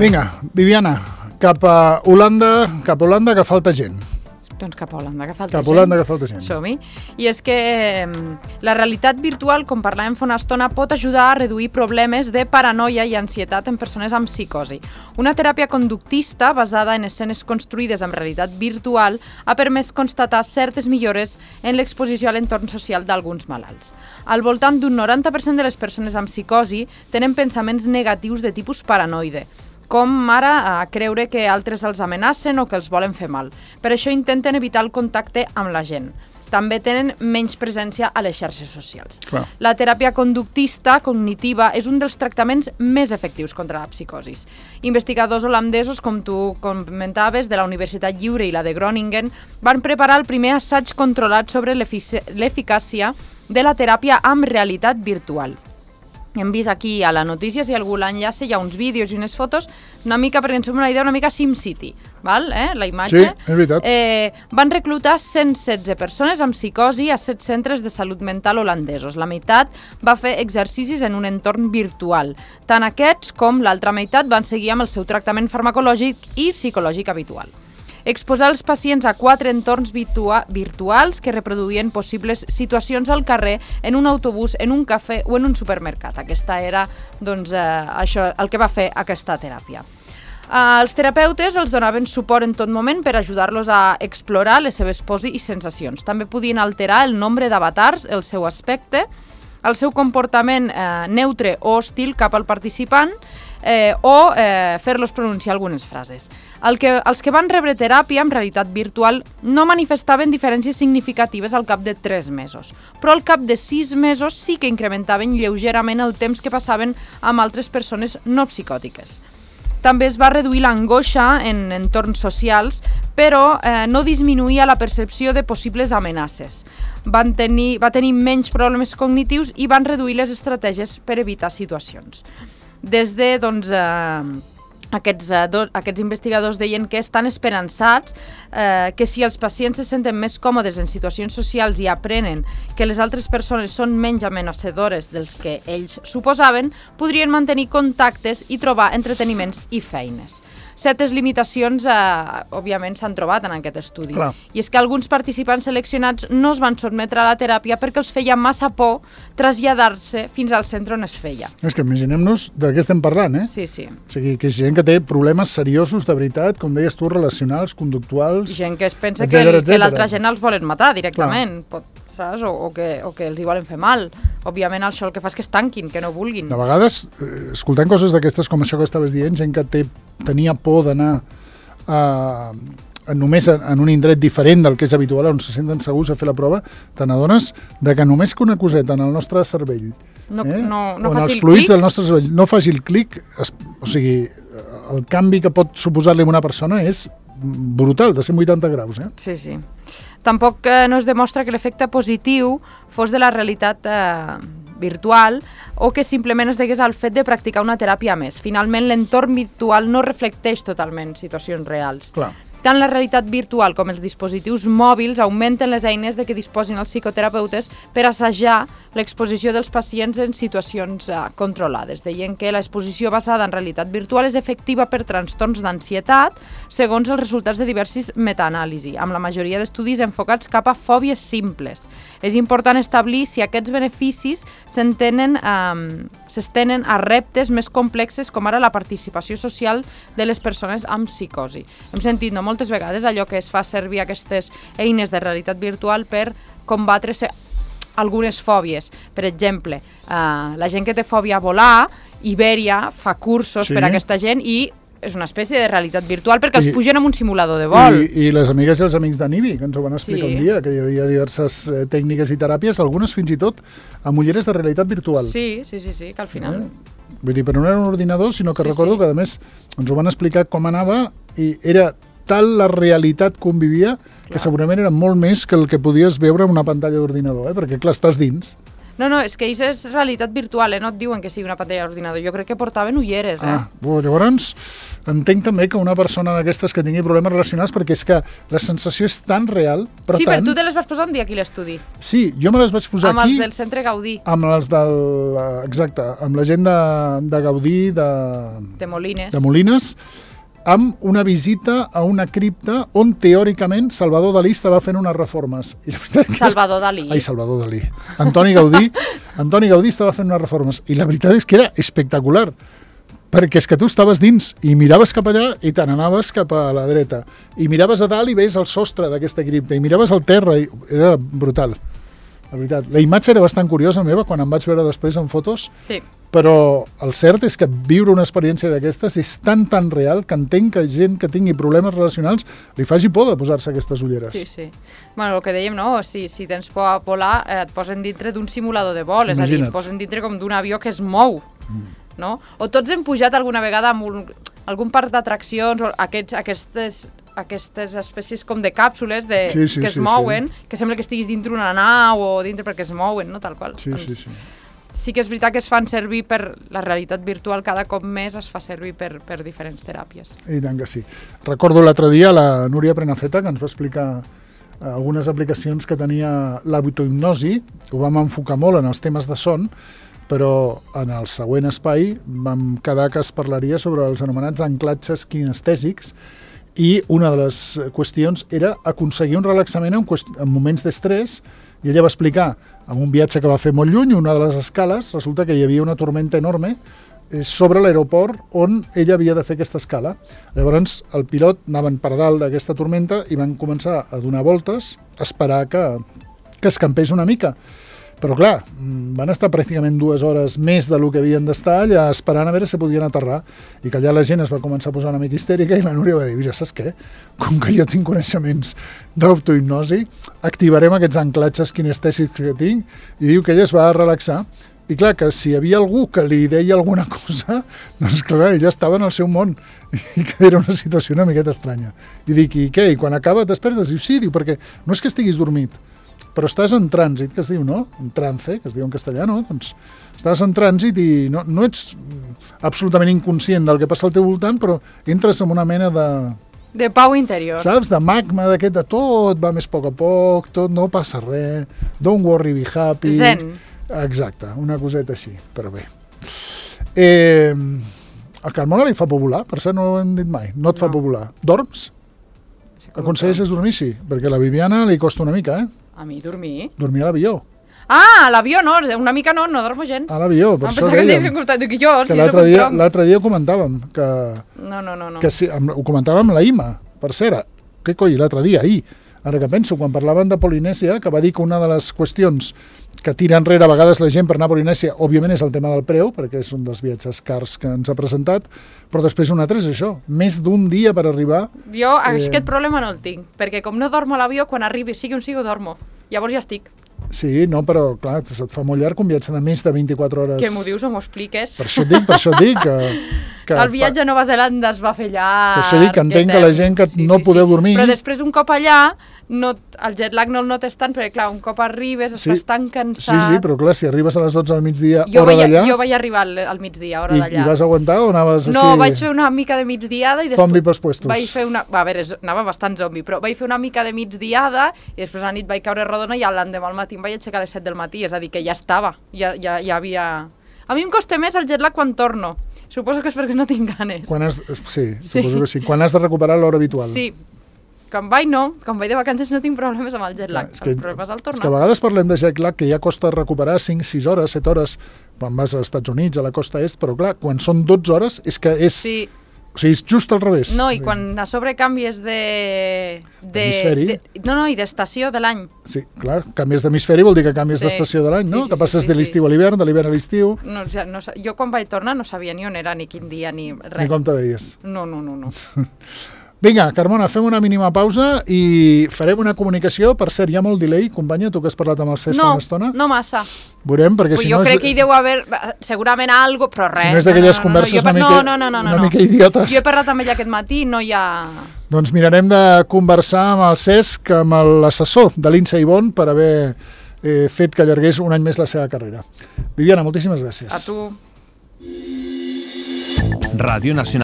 Vinga, Viviana, cap a Holanda, que falta gent. Doncs cap a Holanda, que falta gent. Cap a Holanda, que falta gent. Som-hi. I és que la realitat virtual, com parlàvem fa una estona, pot ajudar a reduir problemes de paranoia i ansietat en persones amb psicosi. Una teràpia conductista basada en escenes construïdes amb realitat virtual ha permès constatar certes millores en l'exposició a l'entorn social d'alguns malalts. Al voltant d'un 90% de les persones amb psicosi tenen pensaments negatius de tipus paranoide, com ara creure que altres els amenacen o que els volen fer mal. Per això intenten evitar el contacte amb la gent. També tenen menys presència a les xarxes socials. Clar. La teràpia conductista cognitiva és un dels tractaments més efectius contra la psicosis. Investigadors holandesos, com tu comentaves, de la Universitat Lliure i la de Groningen, van preparar el primer assaig controlat sobre l'eficàcia de la teràpia amb realitat virtual. Hem vist aquí a la notícia, si algú l'enllaça, hi ha uns vídeos i unes fotos, una mica, perquè ens fem una idea, una mica SimCity, val? La imatge. Sí, és veritat. Van reclutar 116 persones amb psicosi a 7 centres de salut mental holandesos. La meitat va fer exercicis en un entorn virtual. Tant aquests com l'altra meitat van seguir amb el seu tractament farmacològic i psicològic habitual. Exposar els pacients a 4 entorns virtuals que reproduïen possibles situacions al carrer, en un autobús, en un cafè o en un supermercat. Aquesta era això, el que va fer aquesta teràpia. Els terapeutes els donaven suport en tot moment per ajudar-los a explorar les seves pors i sensacions. També podien alterar el nombre d'avatars, el seu aspecte, el seu comportament neutre o hostil cap al participant, o fer-los pronunciar algunes frases. Els que van rebre teràpia en realitat virtual no manifestaven diferències significatives al cap de 3 mesos, però al cap de 6 mesos sí que incrementaven lleugerament el temps que passaven amb altres persones no psicòtiques. També es va reduir l'angoixa en entorns socials, però no disminuïa la percepció de possibles amenaces. Va tenir menys problemes cognitius i van reduir les estratègies per evitar situacions. Des de, aquests investigadors deien que estan esperançats que si els pacients se senten més còmodes en situacions socials i aprenen que les altres persones són menys amenaçadores dels que ells suposaven, podrien mantenir contactes i trobar entreteniments i feines. Certes limitacions, òbviament, s'han trobat en aquest estudi. Clar. I és que alguns participants seleccionats no es van sotmetre a la teràpia perquè els feia massa por traslladar-se fins al centre on es feia. És que imaginem-nos de què estem parlant, eh? Sí, sí. O sigui, que és gent que té problemes seriosos, de veritat, com deies tu, relacionals, conductuals... Gent que es pensa etcètera, que l'altra gent els volen matar directament, saps? O que els hi volen fer mal. Òbviament això el que fa és que es tanquin, que no vulguin. De vegades, escoltant coses d'aquestes com això que estaves dient, gent que tenia por d'anar només en un indret diferent del que és habitual, on se senten segurs a fer la prova, te n'adones que només que una coseta en el nostre cervell, no o en faci els el fluids clic, del nostre cervell, no faci el clic, o sigui, el canvi que pot suposar-li a una persona és brutal, de 180 graus. Sí, sí. Tampoc no es demostra que l'efecte positiu fos de la realitat virtual o que simplement es degués al fet de practicar una teràpia més. Finalment, l'entorn virtual no reflecteix totalment situacions reals. Clar. Tant la realitat virtual com els dispositius mòbils augmenten les eines de què disposin els psicoterapeutes per assajar l'exposició dels pacients en situacions controlades. Deien que l'exposició basada en realitat virtual és efectiva per trastorns d'ansietat, segons els resultats de diversos metaanàlisi, amb la majoria d'estudis enfocats cap a fòbies simples. És important establir si aquests beneficis s'estenen a reptes més complexes, com ara la participació social de les persones amb psicosi. Hem sentit moltes vegades allò que es fa servir aquestes eines de realitat virtual per combatre algunes fòbies. Per exemple, la gent que té fòbia a volar, Iberia fa cursos per a aquesta gent i és una espècie de realitat virtual perquè els pugen en un simulador de vol. I les amigues i els amics de Nibi, que ens ho van explicar un dia, que hi havia diverses tècniques i teràpies, algunes fins i tot amb ulleres de realitat virtual. Sí, que al final... Vull dir, però no era un ordinador, sinó que recordo que a més ens ho van explicar com anava i era tal la realitat que convivia que segurament era molt més que el que podies veure en una pantalla d'ordinador, perquè clar, estàs dins. No, és que això és realitat virtual, no et diuen que sigui una pantalla d'ordinador. Jo crec que portaven ulleres, Llavors, entenc també que una persona d'aquestes que tingui problemes relacionals, perquè és que la sensació és tan real, però sí, tant... però tu te les vas posar un dia aquí a l'estudi. Sí, jo me les vaig posar amb aquí... els del Centre Gaudí. Amb els del... Exacte, amb la gent de Gaudí, de Molines. De Molines, amb una visita a una cripta on, teòricament, Salvador Dalí estava fent unes reformes. I la veritat Salvador Dalí. Ai, Salvador Dalí. Antoni Gaudí estava fent unes reformes. I la veritat és que era espectacular, perquè és que tu estaves dins i miraves cap allà i te n'anaves cap a la dreta. I miraves a dalt i veies el sostre d'aquesta cripta. I miraves al terra i era brutal. La veritat. La imatge era bastant curiosa meva quan em vaig veure després en fotos, sí. Però el cert és que viure una experiència d'aquestes és tan real que entenc que gent que tingui problemes relacionals li faci por de posar-se aquestes ulleres. Sí. Bueno, el que dèiem, no? Si tens por a volar, et posen dintre d'un simulador de vol, és a dir, et posen dintre com d'un avió que es mou, no? O tots hem pujat alguna vegada amb algun parc d'atraccions, aquestes espècies com de càpsules que es mouen, que sembla que estiguis dintre una nau o dintre perquè es mouen, no? Tal qual. Sí. Sí que és veritat que es fan servir per la realitat virtual, cada cop més es fa servir per diferents teràpies. I tant que sí. Recordo l'altre dia la Núria Prenafeta, que ens va explicar algunes aplicacions que tenia l'autohipnosi. Ho vam enfocar molt en els temes de son, però en el següent espai vam quedar que es parlaria sobre els anomenats anclatges kinestèsics, i una de les qüestions era aconseguir un relaxament en moments d'estrès, i ella va explicar, en un viatge que va fer molt lluny, una de les escales, resulta que hi havia una tormenta enorme sobre l'aeroport on ella havia de fer aquesta escala. Llavors el pilot anaven per dalt d'aquesta tormenta i van començar a donar voltes, a esperar que escampés una mica. Però clar, van estar pràcticament 2 hores més del que havien d'estar allà esperant a veure si podien aterrar, i que allà la gent es va començar a posar una mica histèrica i la Núria va dir, mira, saps què? Com que jo tinc coneixements d'autohipnosi, activarem aquests anclatges kinestèsics que tinc, i diu que ella es va relaxar. I clar, que si hi havia algú que li deia alguna cosa, doncs clar, ella estava en el seu món, i que era una situació una miqueta estranya. I dic, i què? I quan acaba et despertes? Diu, sí, diu, perquè no és que estiguis dormit, però estàs en trànsit, que es diu, no? En trance, que es diu en castellà, no? Doncs estàs en trànsit i no ets absolutament inconscient del que passa al teu voltant, però entres en una mena de pau interior. Saps? De magma, d'aquest de tot va més a poc, tot no passa res, don't worry, be happy. Zen. Exacte, una coseta així, però bé. A Carmona li fa por volar, per cert no ho hem dit mai, no et fa por volar. Dorms? Aconsegueixes dormir? Sí, perquè a la Viviana li costa una mica, A mi dormir? Dormir a l'avió. Ah, a l'avió no, una mica no dormo gens. A l'avió, per això dèiem. L'altre dia ho comentàvem, que... No. Que sí, ho comentàvem amb la Ima, per cert, què coi, l'altre dia, ahir, ara que penso, quan parlaven de Polinèsia, que va dir que una de les qüestions que tira enrere a vegades la gent per anar a Polinèsia, òbviament és el tema del preu, perquè és un dels viatges cars que ens ha presentat, però després un altre és això, més d'un dia per arribar... Jo aquest problema no el tinc, perquè com no dormo a l'avió, quan arribi, sigui on sigui, dormo. Llavors ja estic. Sí, no, però clar, se't fa molt llarg un viatge de més de 24 hores. Que m'ho dius o m'ho expliques? Per això et dic que el viatge a Nova Zelanda es va fer llarg. Per això dic que entenc que la gent que no podeu dormir... Però després un cop allà, el jet lag no el notes tant, perquè clar, un cop arribes estàs tan cansat... Sí, però clar, si arribes a les 12 del migdia, hora d'allà... Jo vaig arribar al migdia, hora d'allà. I vas aguantar o anaves així... No, vaig fer una mica de migdiada i després... Zombi pels puestos. Vaig fer una... A veure, anava bastant zombi, però vaig fer una mica de migdiada i després a la nit vaig caure rodona i l'endemà al matí em vaig aixecar a les 7 del matí, és a dir, que ja estava, ja havia... A mi em costa més el jet lag quan torno. Suposo que és perquè no tinc ganes. Sí, suposo que sí. Quan has de recuperar l'hora habitual. Sí. Quan vaig de vacances no tinc problemes amb el jet lag. El problema és el tornar. És que a vegades parlem de jet lag que ja costa recuperar 5, 6 hores, 7 hores, quan vas als Estats Units, a la costa est, però clar, quan són 12 hores és que és... Sí. O sigui, és just al revés. No, i quan a sobre canvies d'hemisferi. I d'estació de l'any. Sí, clar, canvies d'hemisferi vol dir que canvies d'estació de l'any, no? Que passes de l'estiu a l'hivern, de l'hivern a l'estiu. No, jo quan vaig tornar no sabia ni on era, ni quin dia, ni res. Ni com te deies. No. Vinga, Carmona, fem una mínima pausa i farem una comunicació. Per cert, hi ha molt delay, companya, tu que has parlat amb el Cesc fa una estona? No massa. Veurem, perquè si no... Jo crec que hi deu haver segurament algo, però res. Si no és d'aquelles converses una mica idiotes. Jo he parlat amb ella aquest matí, no hi ha... Doncs mirarem de conversar amb el Cesc, amb l'assessor de l'Insa Ivon, per haver fet que allargués un any més la seva carrera. Viviana, moltíssimes gràcies. A tu. Radio Nacional.